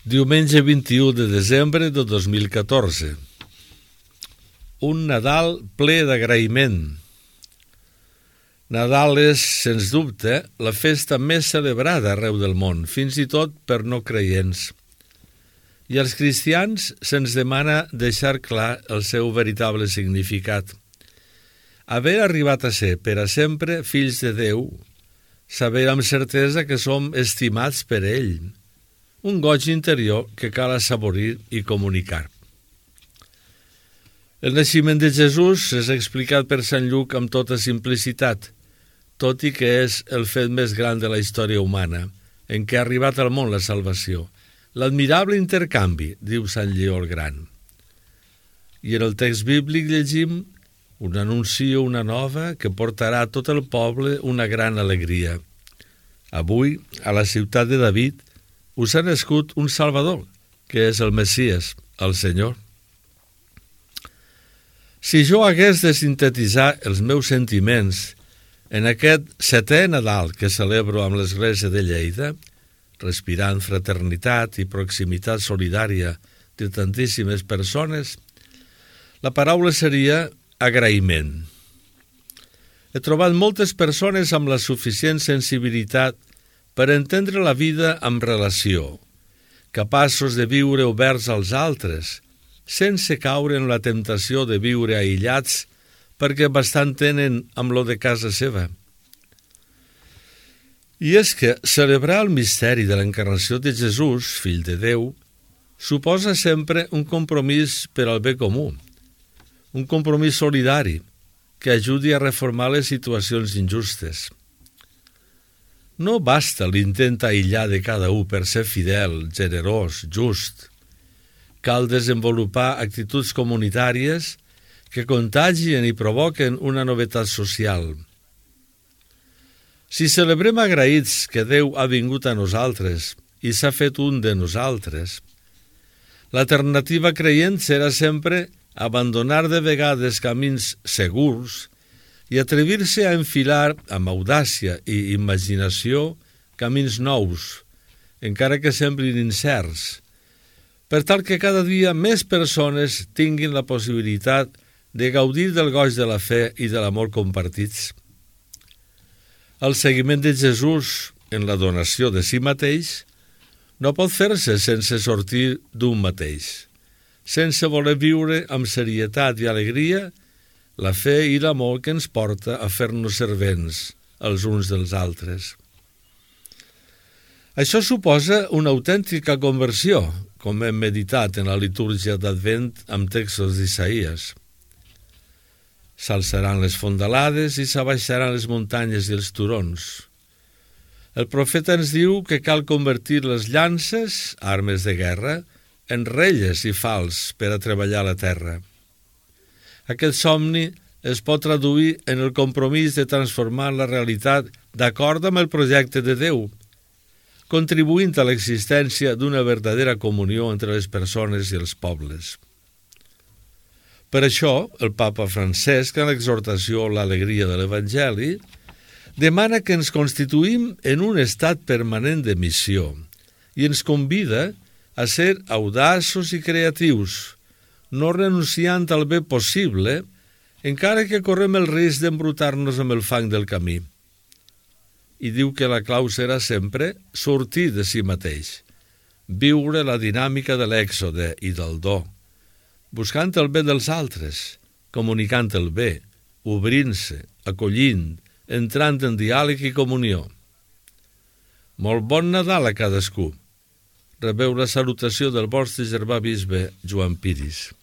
Diumenge 21 de desembre de 2014. Un Nadal ple d'agraïment. Nadal és, sens dubte, la festa més celebrada arreu del món, fins i tot per no creients. I als cristians se'ns demana deixar clar el seu veritable significat. Haver arribat a ser per a sempre fills de Déu, saber amb certesa que som estimats per ell, un goig interior que cal assaborir i comunicar. El naixement de Jesús és explicat per Sant Lluc amb tota simplicitat, tot i que és el fet més gran de la història humana, en què ha arribat al món la salvació. L'admirable intercanvi, diu Sant Lleó el Gran. I en el text bíblic llegim: un anuncio, una nova, que portarà a tot el poble una gran alegria. Avui, a la ciutat de David, us ha nascut un Salvador, que és el Messies, el Senyor. Si jo hagués de sintetitzar els meus sentiments en aquest 7è Nadal que celebro amb l'Església de Lleida, respirant fraternitat i proximitat solidària de tantíssimes persones, la paraula seria agraïment. He trobat moltes persones amb la suficient sensibilitat per entendre la vida amb relació, capaços de viure oberts als altres, sense caure en la temptació de viure aïllats perquè bastant tenen amb lo de casa seva. I és que celebrar el misteri de l'encarnació de Jesús, fill de Déu, suposa sempre un compromís per al bé comú, un compromís solidari que ajudi a reformar les situacions injustes. No basta l'intent aïllar de cada un per ser fidel, generós, just. Cal desenvolupar actituds comunitàries que contagien i provoquen una novetat social. Si celebrem agraïts que Déu ha vingut a nosaltres i s'ha fet un de nosaltres, l'alternativa creient serà sempre abandonar de vegades camins segurs i atrevir-se a enfilar amb audàcia i imaginació camins nous, encara que semblin incerts, per tal que cada dia més persones tinguin la possibilitat de gaudir del goig de la fe i de l'amor compartits. El seguiment de Jesús en la donació de si mateix no pot fer-se sense sortir d'un mateix, sense voler viure amb serietat i alegria la fe i l'amor que ens porta a fer-nos servents els uns dels altres. Això suposa una autèntica conversió, com hem meditat en la litúrgia d'Advent amb textos d'Isaïes. S'alçaran les fondalades i s'abaixaran les muntanyes i els turons. El profeta ens diu que cal convertir les llances, armes de guerra, en relles i fals per a treballar la terra. Aquest somni es pot traduir en el compromís de transformar la realitat d'acord amb el projecte de Déu, contribuint a l'existència d'una verdadera comunió entre les persones i els pobles. Per això, el papa Francesc, en l'exhortació a l'alegria de l'Evangeli, demana que ens constituïm en un estat permanent de missió i ens convida a ser audaços i creatius, no renunciant al bé possible, encara que correm el risc d'embrutar-nos amb el fang del camí. I diu que la clau serà sempre sortir de si mateix, viure la dinàmica de l'èxode i del do, buscant el bé dels altres, comunicant el bé, obrint-se, acollint, entrant en diàleg i comunió. Molt bon Nadal a cadascú. Rebeu la salutació del vostre germà bisbe Joan Piris.